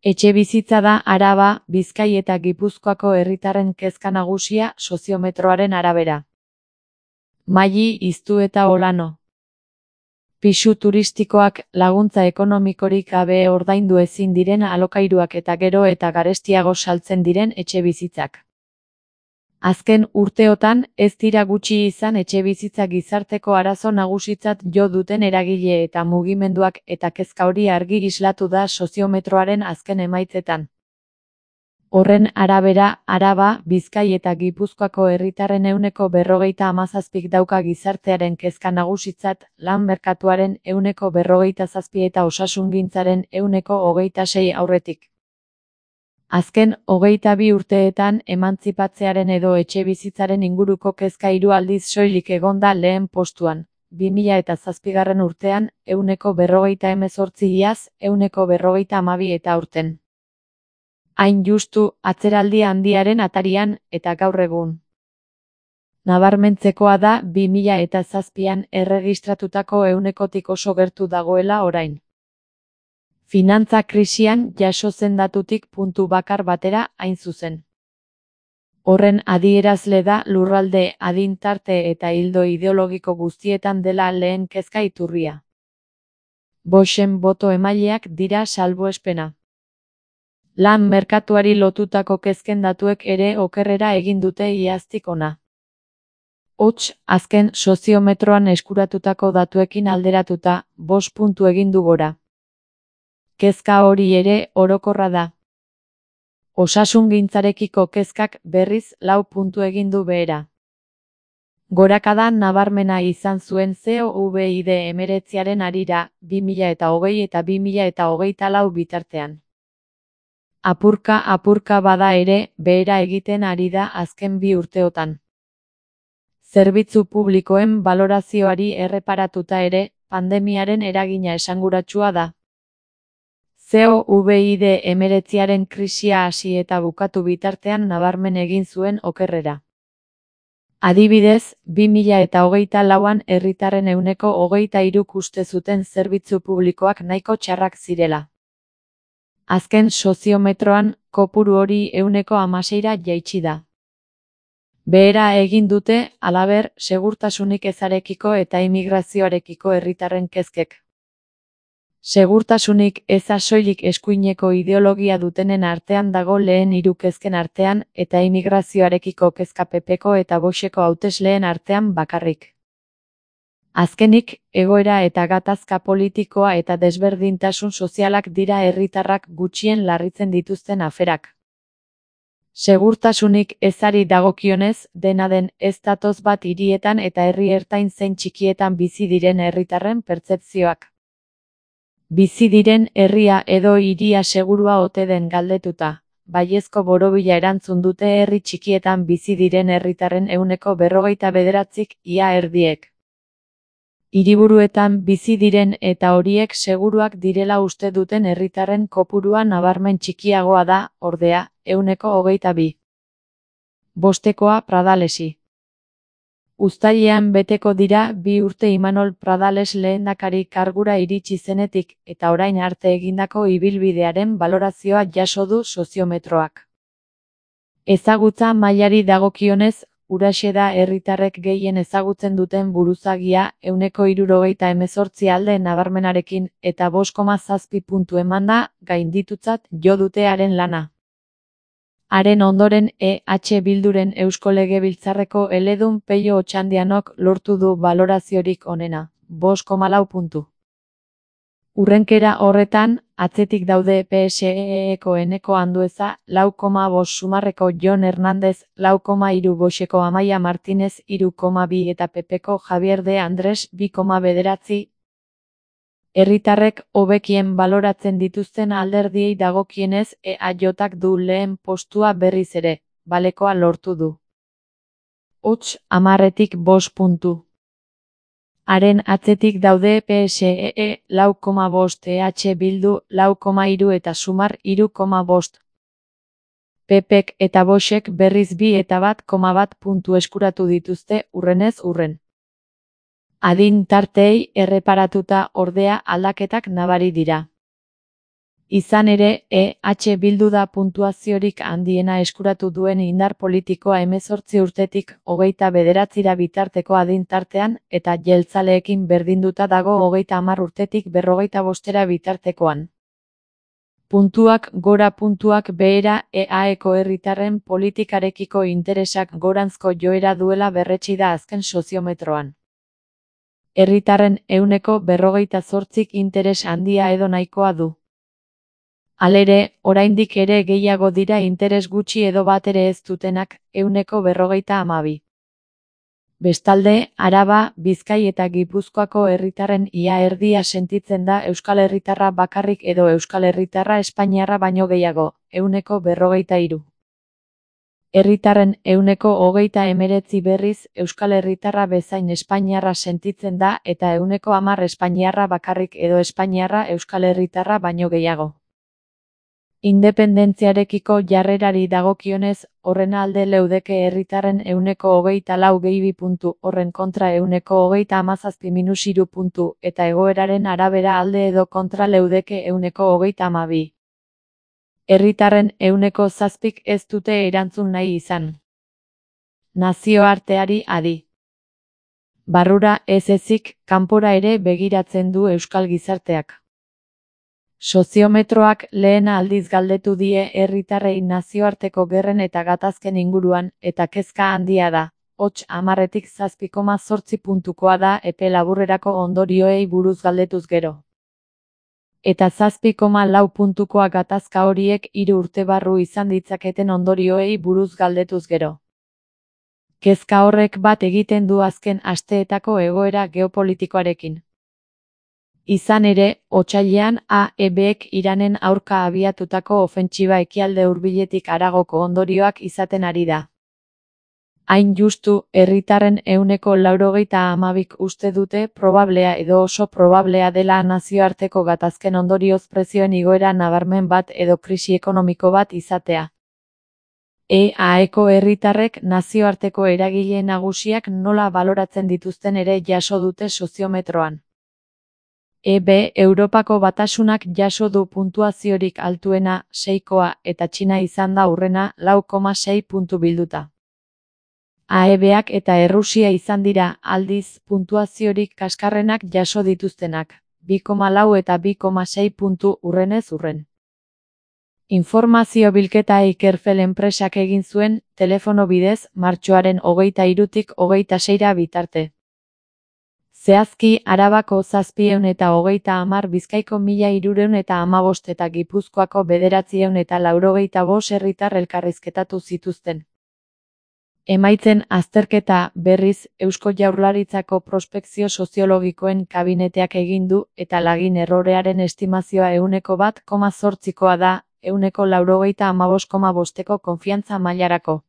Etxebizitza da Araba, Bizkai eta Gipuzkoako herritarren kezka nagusia soziometroaren arabera. Maili, Iztu eta Olano. Pisu turistikoak, laguntza ekonomikorik gabe ordaindu ezin diren alokairuak eta gero eta garestiago saltzen diren etxebizitzak. Azken urteotan, ez dira gutxi izan etxebizitza gizarteko arazo nagusitzat jo duten eragile eta mugimenduak eta kezka hori argi islatu da soziometroaren azken emaitzetan. Horren arabera, Araba, Bizkai eta Gipuzkoako herritarren 47%k dauka gizartearen kezka nagusitzat, lan merkatuaren 47% eta osasungintzaren 26% aurretik. Azken 22 urteetan emantzipatzearen edo etxebizitzaren inguruko kezka 3 aldiz soilik egon da lehen postuan. 2007 urtean 148 iaz, 152 eta aurten. Hain justu, atzeraldi handiaren atarian, eta gaur egun. Nabarmentzekoa da 2007an erregistratutako 100tik oso gertu dagoela orain. Finantza krisian jaso zen datutik puntu bakar batera hain zuzen. Horren adierazle da lurralde, adin tarte eta ildo ideologiko guztietan dela lehen kezka iturria. Voxen boto emaileak dira salbuespena. Lan merkatuari lotutako kezken datuek ere okerrera egin dute iaztik hona. Hots, azken soziometroan eskuratutako datuekin alderatuta, 5 puntu egin du gora. Kezka hori ere orokorra da. Osasungintzarekiko kezkak berriz 4 puntu egin du behera. Gorakada nabarmena izan zuen COVID-19 harira, 2020 eta 2024 bitartean. Apurka bada ere, behera egiten ari da azken 2 urteotan. Zerbitzu publikoen balorazioari erreparatuta ere, pandemiaren eragina esanguratsua da. COVID-19 krisia hasi eta bukatu bitartean nabarmen egin zuen okerrera. Adibidez, 2024an herritarren 23% uste zuten zerbitzu publikoak nahiko txarrak zirela. Azken soziometroan, kopuru hori 16%ra jaitsi da. Behera egin dute, halaber, segurtasunik ezarekiko eta immigrazioarekiko herritarren kezkek. Segurtasunik eza soilik eskuineko ideologia dutenen artean dago lehen 3 kezken artean, eta immigrazioarekiko kezka PPko eta Voxeko hautesleen artean bakarrik. Azkenik, egoera eta gatazka politikoa eta desberdintasun sozialak dira herritarrak gutxien larritzen dituzten aferak. Segurtasunik ezari dagokionez, dena den ez datoz bat hirietan eta herri ertain zein txikietan bizi diren herritarren pertzepzioak. Bizi diren herria edo hiria segurua ote den galdetuta, baiezko borobila erantzun dute herri txikietan bizi diren herritarren 49%, ia erdiek. Hiriburuetan bizi diren eta horiek seguruak direla uste duten herritarren kopurua nabarmen txikiagoa da, ordea, 22%. Bostekoa Pradalesi. Uztailean beteko dira 2 urte Imanol Pradales lehendakari kargura iritsi zenetik, eta orain arte egindako ibilbidearen balorazioa jaso du soziometroak. Ezagutza mailari dagokionez, huraxe da herritarrek gehien ezagutzen duten buruzagia, 78% alde nabarmenarekin, eta 5,7 puntu emanda, gainditutzat jo dute haren lana. Haren ondoren EH Bilduren Eusko Legebiltzarreko eledun Peio Otxandianok lortu du baloraziorik onena, 5,4 puntu. Urrenkera horretan, atzetik daude PSE-eko Eneko Andueza, 4,5 Sumarreko Jon Hernández, 4,3 Voxeko Amaia Martínez, 3,2 eta PPko Javier de Andrés, 2,9. Herritarrek hobekien baloratzen dituzten alderdiei dagokienez EAJak du lehen postua berriz ere, balekoa lortu du. Hots, 10-tik 5 puntu. Haren atzetik daude PSE, 4,5 EH Bildu, 4,3 eta Sumar, 3,5. PPk eta Voxek berriz 2 eta 1,1 puntu eskuratu dituzte urrenez urren. Adin tarteei erreparatuta ordea aldaketak nabari dira. Izan ere, EH Bildu da puntuaziorik handiena eskuratu duen indar politikoa 18 urtetik 29 bitarteko adin tartean eta jeltzaleekin berdinduta dago 30 urtetik 45 bitartekoan. Puntuak gora puntuak behera EAeko herritarren politikarekiko interesak goranzko joera duela berretsi da azken soziometroan. Herritarren 48%k interes handia edo nahikoa du. Halere, oraindik ere gehiago dira interes gutxi edo bat ere ez dutenak, 52%. Bestalde, Araba, Bizkai eta Gipuzkoako herritarren ia erdia sentitzen da euskal herritarra bakarrik edo euskal herritarra espainiarra baino gehiago, 53%. Herritarren 29% berriz euskal herritarra bezain espainiarra sentitzen da eta 10% espainiarra bakarrik edo espainiarra euskal herritarra baino gehiago. Independentziarekiko jarrerari dagokionez, horren alde leudeke herritarren 24 gehi 2 puntu, horren kontra 37-3 puntu, eta egoeraren arabera alde edo kontra leudeke 32. Herritarren 7%k ez dute erantzun nahi izan. Nazioarteari adi. Barrura ez ezik, kanpora ere begiratzen du euskal gizarteak. Soziometroak lehen aldiz galdetu die herritarrei nazioarteko gerren eta gatazken inguruan, eta kezka handia da, 7,7 puntukoa da epe laburrerako ondorioei buruz galdetuz gero. Eta 7,4 puntukoa gatazka horiek 3 urte barru izan ditzaketen ondorioei buruz galdetuz gero. Kezka horrek bat egiten du azken asteetako egoera geopolitikoarekin. Izan ere, otsailean AEBek Iranen aurka abiatutako ofentsiba ekialde hurbiletik haragoko ondorioak izaten ari da. Hain justu, herritarren 92%k uste dute probablea edo oso probablea dela nazioarteko gatazken ondorioz prezioen igoera nabarmen bat edo krisi ekonomiko bat izatea. EAeko herritarrek nazioarteko eragile nagusiak nola baloratzen dituzten ere jaso dute soziometroan. Europako Batasunak jaso du puntuaziorik altuena, 6koa, eta Txina izan da hurrena, 4,6 puntu bilduta. AEBak eta Errusia izan dira, aldiz, puntuaziorik kaskarrenak jaso dituztenak, 2,4 eta 2,6 puntu hurrenez hurren. Informazio bilketa Ikerfel enpresak egin zuen, telefono bidez, martxoaren 23tik 26 bitarte. Zehazki, Arabako 730, Bizkaiko 1315 eta Gipuzkoako 985 herritar elkarrizketatu zituzten. Emaitzen azterketa, berriz, Eusko Jaurlaritzako prospekzio soziologikoen kabineteak egin du, eta lagin errorearen estimazioa 1,8koa da, 195,5ko konfiantza mailarako.